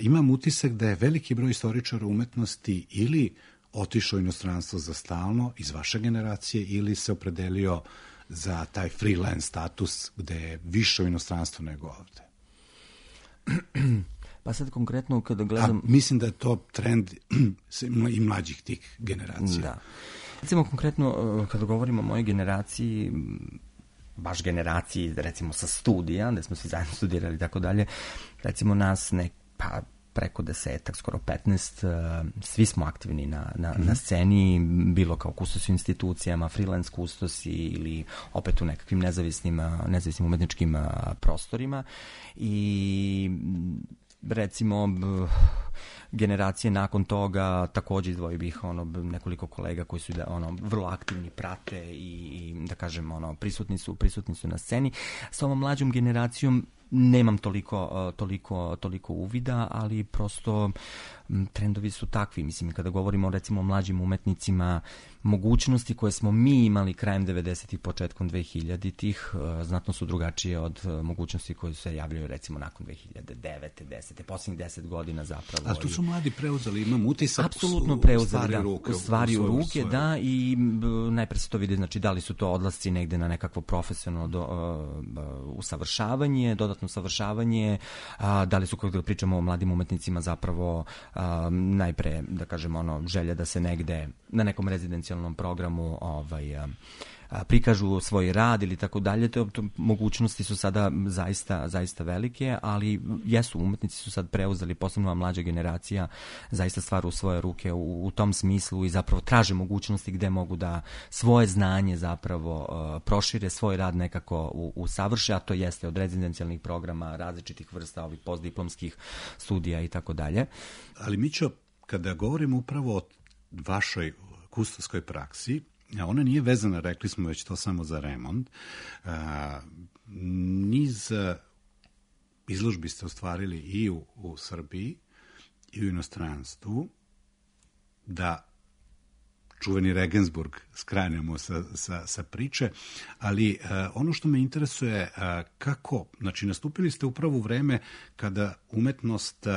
imam utisak da je veliki broj istoričara umetnosti ili otišao u inostranstvo za stalno iz vaše generacije ili se opredelio za taj freelance status gde je više u inostranstvu nego ovde. Pa sad konkretno kada gledam... A mislim da je to trend i mlađih tih generacija. Da. Recimo konkretno kada govorimo o mojoj generaciji, baš generaciji, recimo sa studija, gde smo svi zajedno studirali i tako dalje, recimo nas ne, pa preko desetak, skoro petnaest, svi smo aktivni na, na, mm-hmm. na sceni, bilo kao kustosi u institucijama, freelance kustosi ili opet u nekakvim nezavisnim, nezavisnim umetničkim prostorima i recimo generacije nakon toga takođe izdvojio bih ono nekoliko kolega koji su da ono vrlo aktivni, prate i, i da kažem ono prisutni su prisutni su na sceni. Sa ovom mlađom generacijom nemam toliko toliko toliko uvida, ali prosto trendovi su takvi. Mislim, kada govorimo recimo o mlađim umetnicima, mogućnosti koje smo mi imali krajem devedesetih, početkom dvehiljaditih znatno su drugačije od mogućnosti koje se javljaju recimo nakon dve hiljade devete, desete, poslednjih deset godina zapravo. A tu su mladi preuzeli, imam utisak, apsolutno preuzeli stvari u ruke, stvari u ruke, svoje. Da, i najpre se to vidi, znači da li su to odlasci negde na nekakvo profesionalno do, uh, usavršavanje, dodatno usavršavanje, uh, da li su, kada pričamo o mladim umetnicima, zapravo uh, najpre, da kažemo, ono, želja da se negde na nekom rezidencijalnom programu ovaj, a, a, prikažu svoj rad ili tako dalje. To, to mogućnosti su sada zaista, zaista velike, ali jesu, umetnici su sad preuzeli, posebno mlađa generacija, zaista stvar u svoje ruke u, u tom smislu i zapravo traže mogućnosti gde mogu da svoje znanje zapravo a, prošire, svoj rad nekako u, usavrše, a to jeste od rezidencijalnih programa, različitih vrsta ovih postdiplomskih studija i tako dalje. Ali Mićo, kada govorimo upravo o vašoj kustoskoj praksi, ona nije vezana, rekli smo već to samo za remont, niz izložbi ste ostvarili i u, u Srbiji i u inostranstvu, da čuveni Regensburg skranemo sa, sa, sa priče, ali uh, ono što me interesuje, uh, kako, znači nastupili ste upravo u vreme kada umetnost uh,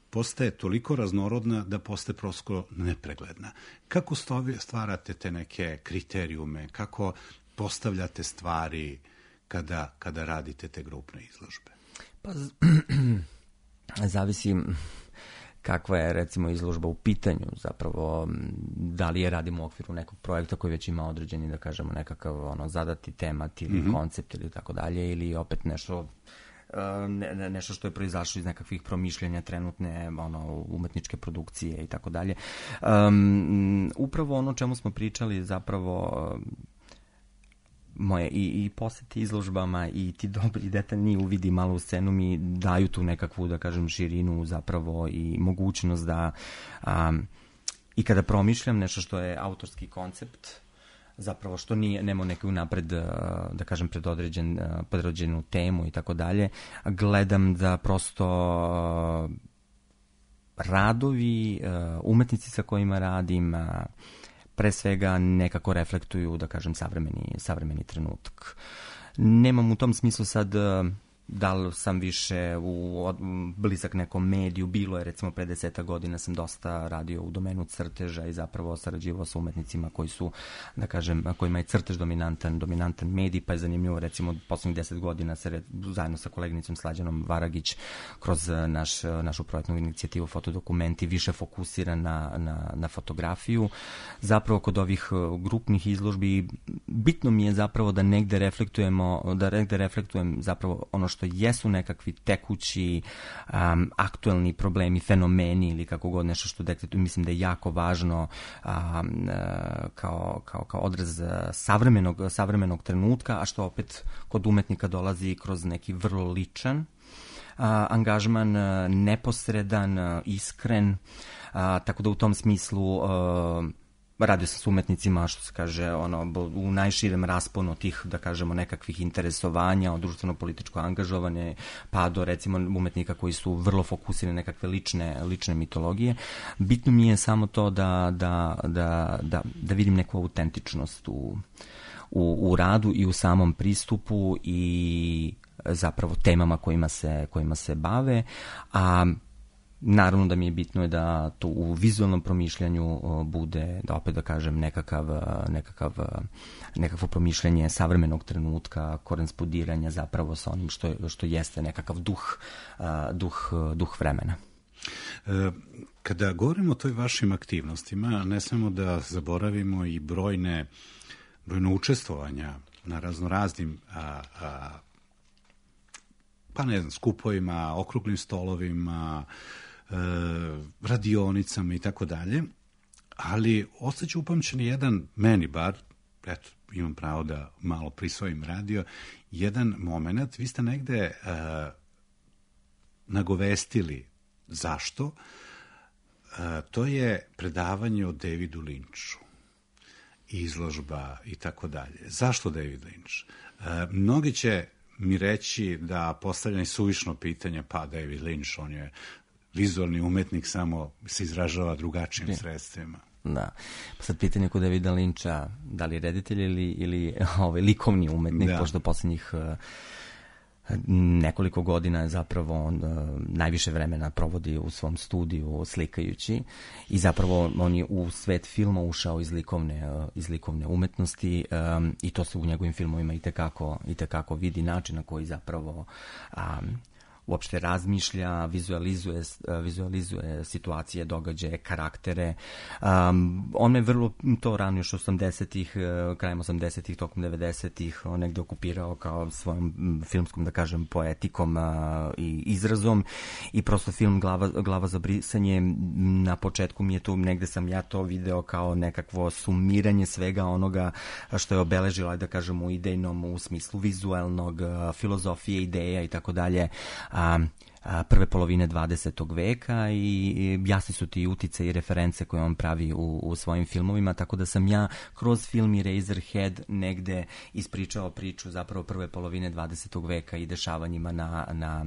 postaje toliko raznorodna da postaje prosto nepregledna. Kako stvarate te neke kriterijume, kako postavljate stvari kada, kada radite te grupne izložbe? Pa, zavisi kakva je recimo izložba u pitanju, zapravo da li je radimo u okviru nekog projekta koji već ima određeni, da kažemo, nekakav ono, zadati temat ili mm-hmm. koncept ili tako dalje, ili opet nešto Ne, nešto što je proizašlo iz nekakvih promišljanja trenutne ono, umetničke produkcije i tako dalje. Um, upravo ono čemu smo pričali zapravo moje i, i poseti izložbama i ti dobri detaljni uvidi malo u scenu mi daju tu nekakvu, da kažem, širinu zapravo i mogućnost da um, i kada promišljam nešto što je autorski koncept, zapravo što nije, nema neku napred, da kažem, predodređen, predodređenu temu i tako dalje, gledam da prosto radovi, umetnici sa kojima radim, pre svega nekako reflektuju, da kažem, savremeni, savremeni trenutak. Nemam u tom smislu sad da li sam više u blizak nekom mediju, bilo je recimo pre deseta godina sam dosta radio u domenu crteža i zapravo sarađivao sa umetnicima koji su, da kažem, kojima je crtež dominantan, dominantan medij, pa je zanimljivo recimo poslednjih deset godina se zajedno sa koleginicom Slađanom Varagić kroz naš, našu projektnu inicijativu Fotodokumenti više fokusira na, na, na fotografiju. Zapravo kod ovih grupnih izložbi bitno mi je zapravo da negde reflektujemo, da negde reflektujem zapravo ono što jesu nekakvi tekući, um, aktuelni problemi, fenomeni ili kako god nešto što detektuju, mislim da je jako važno um, kao, kao, kao odraz savremenog, savremenog trenutka, a što opet kod umetnika dolazi kroz neki vrlo ličan uh, angažman, neposredan, iskren, uh, tako da u tom smislu uh, radio sam s umetnicima, što se kaže, ono, u najširem rasponu tih, da kažemo, nekakvih interesovanja, od društveno-političko angažovane, pa do, recimo, umetnika koji su vrlo fokusirani nekakve lične, lične mitologije. Bitno mi je samo to da, da, da, da, da vidim neku autentičnost u, u, u radu i u samom pristupu i zapravo temama kojima se, kojima se bave, a naravno da mi je bitno je da to u vizualnom promišljanju bude, da opet da kažem, nekakav, nekakav, nekakvo promišljanje savremenog trenutka, korespondiranja zapravo sa onim što, što jeste nekakav duh, duh, duh vremena. Kada govorimo o toj vašim aktivnostima, ne samo da zaboravimo i brojne, brojne učestvovanja na raznoraznim a, a, pa ne znam, skupovima, okruglim stolovima, radionicama i tako dalje, ali ostaće upamćen jedan, meni bar, eto, imam pravo da malo prisvojim radio, jedan moment, vi ste negde uh, nagovestili zašto, uh, to je predavanje o Davidu Lynchu, izložba i tako dalje. Zašto David Lynch? Uh, mnogi će mi reći da postavljanje suvišno pitanja, pa David Lynch, on je vizualni umetnik, samo se izražava drugačijim ja. sredstvima. Da. Pa sad pitanje kod Davida Lyncha, da li reditelj ili, ili ovaj, likovni umetnik, da. Pošto poslednjih uh, nekoliko godina je zapravo on uh, najviše vremena provodi u svom studiju slikajući i zapravo on je u svet filma ušao iz likovne, uh, iz likovne umetnosti um, i to se u njegovim filmovima itekako, itekako vidi način na koji zapravo um, uopšte razmišlja, vizualizuje, vizualizuje situacije, događaje, karaktere. Um, on me vrlo to rano još osamdesetih, krajem osamdesetih, tokom devedesetih, on negde okupirao kao svojom filmskom, da kažem, poetikom uh, i izrazom i prosto film Glava, glava za brisanje, na početku mi je to, negde sam ja to video kao nekakvo sumiranje svega onoga što je obeležilo, da kažem, u idejnom, u smislu vizualnog, filozofije, ideja i tako dalje, A, a, prve polovine dvadesetog veka i, i jasni su ti utice i reference koje on pravi u, u svojim filmovima, tako da sam ja kroz film Eraserhead negde ispričao priču zapravo prve polovine dvadesetog veka i dešavanjima na, na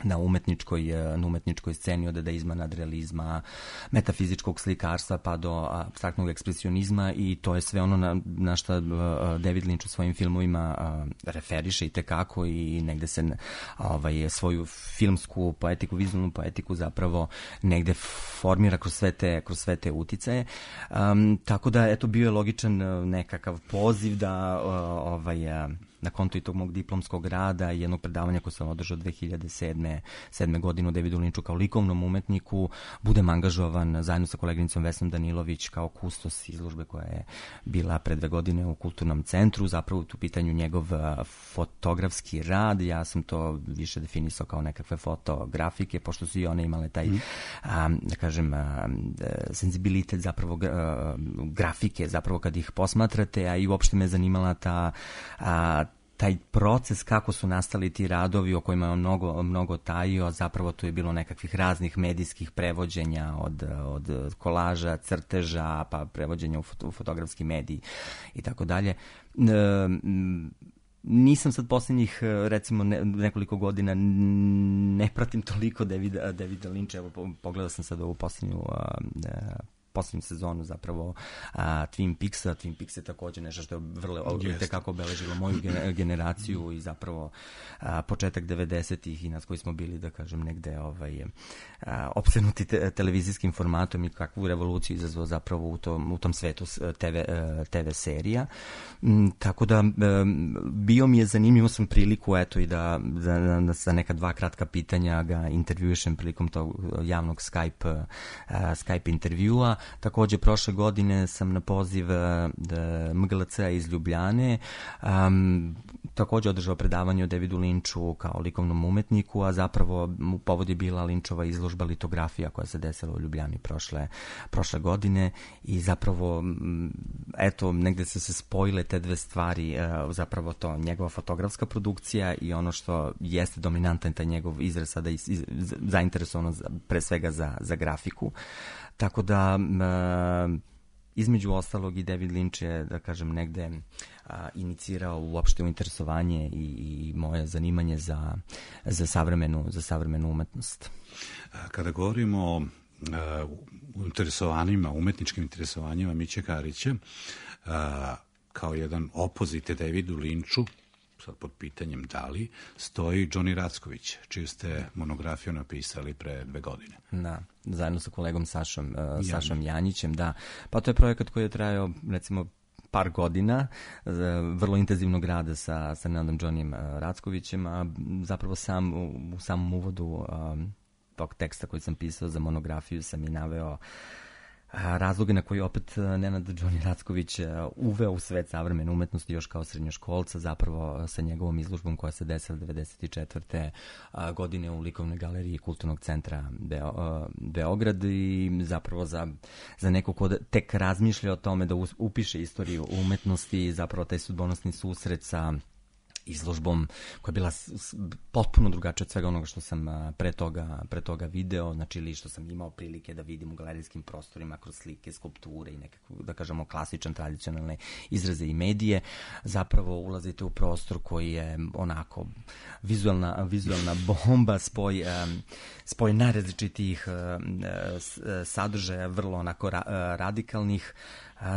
na umetničkoj, na umetničkoj sceni od dadaizma, nadrealizma, metafizičkog slikarstva pa do apstraktnog ekspresionizma i to je sve ono na, na šta David Lynch u svojim filmovima referiše i tekako i negde se ovaj, svoju filmsku poetiku, vizualnu poetiku zapravo negde formira kroz sve te, kroz sve te uticaje. Um, tako da, eto, bio je logičan nekakav poziv da ovaj, na konto i tog mog diplomskog rada i jednog predavanja koje sam održao dve hiljade sedme godine u Davidu Lynchu kao likovnom umetniku, budem angažovan zajedno sa koleginicom Vesnom Danilović kao kustos izložbe koja je bila pre dve godine u Kulturnom centru, zapravo u pitanju njegov fotografski rad, ja sam to više definisao kao nekakve fotografike, pošto su i one imale taj, mm. a, da kažem, a, senzibilitet zapravo a, grafike, zapravo kad ih posmatrate, a i uopšte me zanimala ta a, taj proces kako su nastali ti radovi o kojima je on mnogo, mnogo tajio, a zapravo tu je bilo nekakvih raznih medijskih prevođenja od, od kolaža, crteža, pa prevođenja u, foto, u fotografski medij i tako dalje. Nisam sad posljednjih, recimo, ne, nekoliko godina ne pratim toliko Davida, Davida Lyncha, evo pogledao sam sad ovu posljednju posljednju sezonu zapravo a, Twin Peaksa. Twin Peaks je također nešto što je vrlo tekako obeležilo moju generaciju i zapravo a, početak devedesetih i nas koji smo bili, da kažem, negde ovaj, a, opsednuti te, televizijskim formatom i kakvu revoluciju izazvao zapravo u tom, u tom svetu te ve, te ve serija. M, tako da bio mi je zanimljivo, sam priliku eto i da za, za neka dva kratka pitanja ga intervjušem prilikom tog javnog Skype, uh, Skype intervjua. Također prošle godine sam na poziv uh, M G L C-a iz Ljubljane um, također održao predavanje o Davidu Lynchu kao likovnom umetniku, a zapravo u povod je bila Lynchova izložba litografija koja se desila u Ljubljani prošle, prošle godine i zapravo eto, negde su se spojile te dve stvari, uh, zapravo to njegova fotografska produkcija i ono što jeste dominantan taj njegov izraz sada iz, iz, zainteresovano za, pre svega za, za grafiku. Tako da uh, između ostalog i David Lynch je, da kažem, negde a, inicirao uopšte interesovanje i, i moje zanimanje za, za, savremenu, za savremenu umetnost. Kada govorimo o uh, interesovanjima, umetničkim interesovanjima Miće Karića, uh, kao jedan opozit Davidu Lynchu, sad pod pitanjem da li, stoji Johnny Racković, čiju ste monografiju napisali pre dve godine. Da, zajedno sa kolegom Sašom, uh, Sašom Janjićem, da. Pa to je projekat koji je trajao, recimo, par godina, vrlo intenzivnog rada sa, sa Nenadom Johnnyem Rackovićem, a zapravo sam u, u samom uvodu um, tog teksta koji sam pisao za monografiju sam i naveo razloge na koji opet Nenad Johnny Racković uveo u svet savremene umetnosti još kao srednjoškolca, zapravo sa njegovom izložbom koja se desila devedeset četvrte godine u Likovnoj galeriji Kulturnog centra Beo, Beograd i zapravo za, za neko ko tek razmišlja o tome da upiše istoriju umetnosti, zapravo taj sudbonosni susret sa izložbom koja je bila potpuno drugačija od svega onoga što sam pre toga, pre toga video, znači ili što sam imao prilike da vidim u galerijskim prostorima kroz slike, skulpture i nekako, da kažemo, klasičan, tradicionalne izraze i medije. Zapravo ulazite u prostor koji je onako vizualna, vizualna bomba, spoj, spoj najrazličitijih sadržaja, vrlo onako radikalnih,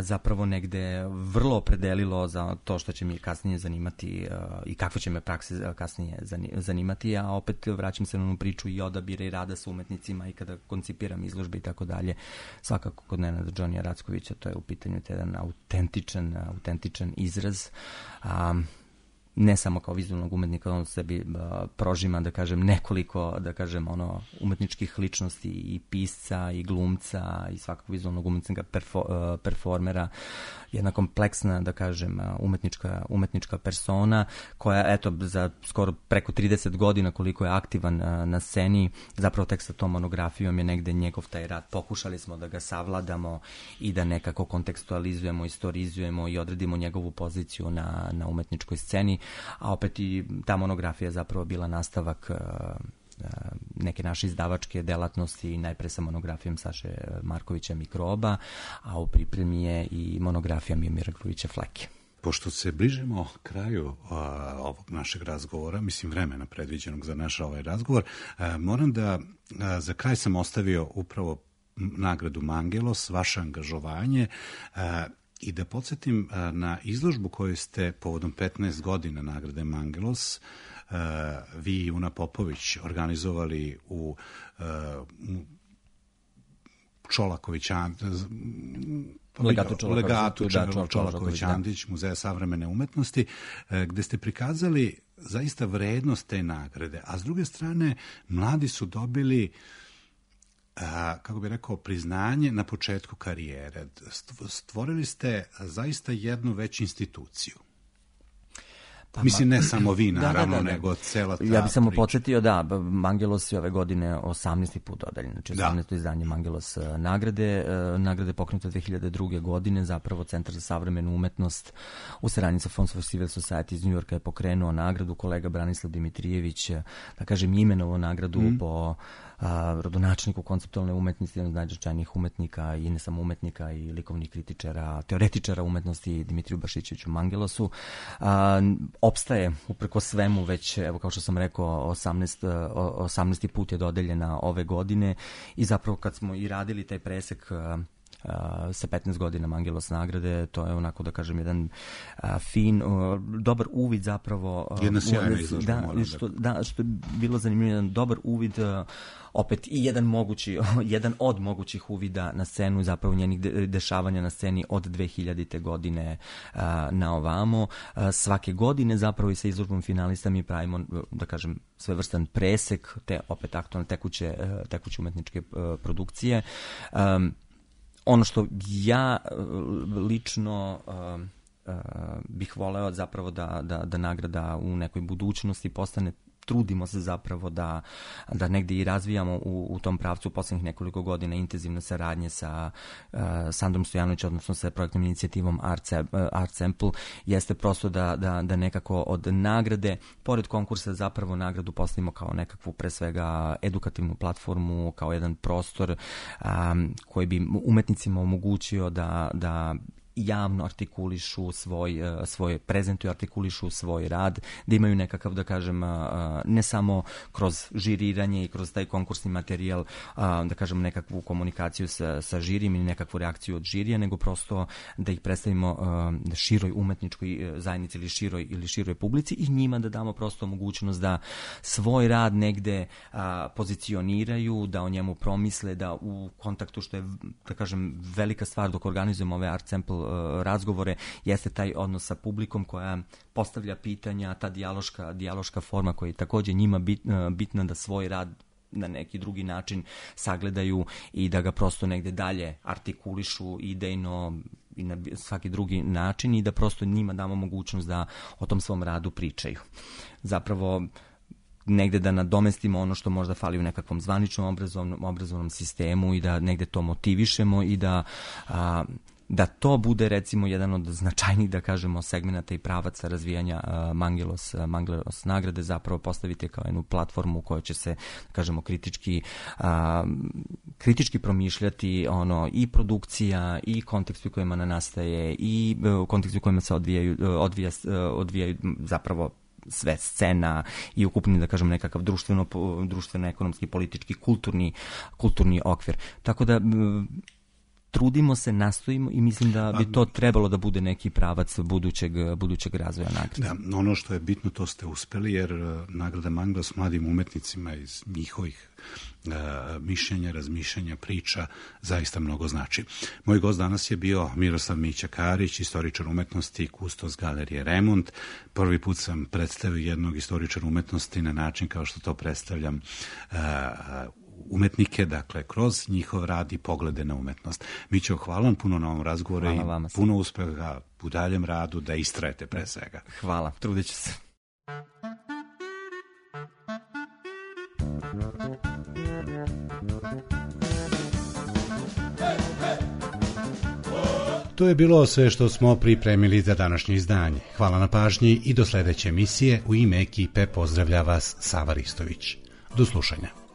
zapravo negde vrlo opredelilo za to što će mi kasnije zanimati uh, i kakve će me prakse kasnije zanimati, a opet vraćam se na onu priču i odabira i rada sa umetnicima i kada koncipiram izložbe i tako dalje. Svakako kod Nenada Johnnyja Rackovića to je u pitanju jedan autentičan, autentičan izraz. Um, ne samo kao vizualnog umetnika, on sebi uh, prožima, da kažem, nekoliko, da kažem, ono, umetničkih ličnosti i pisca i glumca i svakog vizualnog umetnika, perfo, uh, performera, jedna kompleksna, da kažem, umetnička, umetnička persona koja, eto, za skoro preko trideset godina koliko je aktivan uh, na sceni, zapravo tek sa tom monografijom je negde njegov taj rad. Pokušali smo da ga savladamo i da nekako kontekstualizujemo, istorizujemo i odredimo njegovu poziciju na, na umetničkoj sceni, a opet i ta monografija zapravo bila nastavak uh, neke naše izdavačke delatnosti, najpre sa monografijom Saše Markovića Mikroba, a u pripremi je i monografija Mimira Grujića Fleke. Pošto se bližimo kraju a, ovog našeg razgovora, mislim vremena predviđenog za naš ovaj razgovor, a, moram da a, za kraj sam ostavio upravo nagradu Mangelos, vaše angažovanje, a, i da podsjetim a, na izložbu koju ste povodom petnaest godina nagrade Mangelos Uh, vi i Una Popović organizovali u, uh, u Čolaković Legatu Čolaković, Legatu Čolaković, Čolaković Andić, Muzeja savremene umetnosti, uh, gde ste prikazali zaista vrednost te nagrade, a s druge strane mladi su dobili uh, kako bi rekao, priznanje na početku karijere. Stvorili ste zaista jednu već instituciju. Pa, mislim, ne samo vi, naravno, da, da, da, nego cela ta Ja bih samo priča. Podsjetio, da, Mangelos je ove godine osamnaesti put dodeljen, znači osamnaesto izdanje Mangelos nagrade. Nagrade pokrenuta dve hiljade druge. godine, zapravo Centar za savremenu umetnost u saradnji sa Fonds for Civil Society iz Njujorka je pokrenuo nagradu, kolega Branislav Dimitrijević, da kažem, imenovo nagradu mm. po a, rodonačniku konceptualne umetnosti, jedan od najznačajnijih umetnika i ne samo umetnika i likovnih kritičara, teoretičara umetnosti, Dimitriju Bašićeviću Mangelosu. A, opstaje upreko svemu već, evo kao što sam rekao, osamnaesti put je dodeljena ove godine i zapravo kad smo i radili taj presek sa petnaest godina Mangelos nagrade, to je onako da kažem jedan a, fin, a, dobar uvid zapravo. Jedna sjajna izložba. Da, što, da, što je bilo zanimljivo, jedan dobar uvid, a, opet i jedan mogući, jedan od mogućih uvida na scenu, zapravo njenih de, dešavanja na sceni od dve hiljadite godine a, na ovamo. A, svake godine zapravo i sa izložbom finalista mi pravimo, da kažem, svevrstan presek te opet aktualne tekuće, tekuće umetničke a, produkcije. A, Ono što ja lično uh, uh, bih voleo zapravo da, da, da nagrada u nekoj budućnosti postane, trudimo se zapravo da, da negde i razvijamo u, u tom pravcu poslednjih nekoliko godina intenzivne saradnje sa uh, Sandrom Stojanovićem, odnosno sa projektnom inicijativom Art, uh, Art Sample, jeste prosto da, da, da nekako od nagrade, pored konkursa zapravo nagradu postavimo kao nekakvu pre svega edukativnu platformu, kao jedan prostor um, koji bi umetnicima omogućio da, da javno artikulišu svoj, svoj, prezentuju, artikulišu svoj rad, da imaju nekakav, da kažem, ne samo kroz žiriranje i kroz taj konkursni materijal, da kažem, nekakvu komunikaciju sa, sa žirim ili nekakvu reakciju od žirija, nego prosto da ih predstavimo široj umetničkoj zajednici ili široj, ili široj publici i njima da damo prosto mogućnost da svoj rad negde pozicioniraju, da o njemu promisle, da u kontaktu, što je, da kažem, velika stvar dok organizujemo ove Art Sample razgovore, jeste taj odnos sa publikom koja postavlja pitanja, ta dijaloška, dijaloška forma koja je takođe njima bit, bitna da svoj rad na neki drugi način sagledaju i da ga prosto negde dalje artikulišu idejno i na svaki drugi način i da prosto njima damo mogućnost da o tom svom radu pričaju. Zapravo negde da nadomestimo ono što možda fali u nekakvom zvaničnom obrazovnom, obrazovnom sistemu i da negde to motivišemo i da a, da to bude recimo jedan od značajnih, da kažemo, segmenata i pravaca razvijanja uh, Mangelos, uh, Mangelos nagrade, zapravo postavite kao jednu platformu u kojoj će se, da kažemo, kritički uh, kritički promišljati ono i produkcija i kontekst u kojima nastaje i uh, kontekst u kojima se odvijaju, uh, odvija, uh, odvijaju zapravo sve scena i ukupni, da kažem, nekakav društveno, društveno ekonomski, politički, kulturni, kulturni okvir. Tako da trudimo se, nastojimo i mislim da bi to trebalo da bude neki pravac budućeg, budućeg razvoja nagrade. Da, ono što je bitno, to ste uspeli, jer nagrada Mangelos mladim umetnicima iz njihovih uh, mišljenja, razmišljanja, priča zaista mnogo znači. Moj gost danas je bio Miroslav Mića Karić, istoričar umetnosti i kustos galerije Remont. Prvi put sam predstavio jednog istoričara umetnosti na način kao što to predstavljam uh, umetnike, dakle, kroz njihov rad i poglede na umetnost. Mićo, hvala vam puno na ovom razgovoru i puno uspeha u daljem radu, da istrajete pre svega. Hvala, trudit ću se. To je bilo sve što smo pripremili za današnje izdanje. Hvala na pažnji i do sledeće emisije. U ime ekipe pozdravlja vas Sava Ristović. Do slušanja.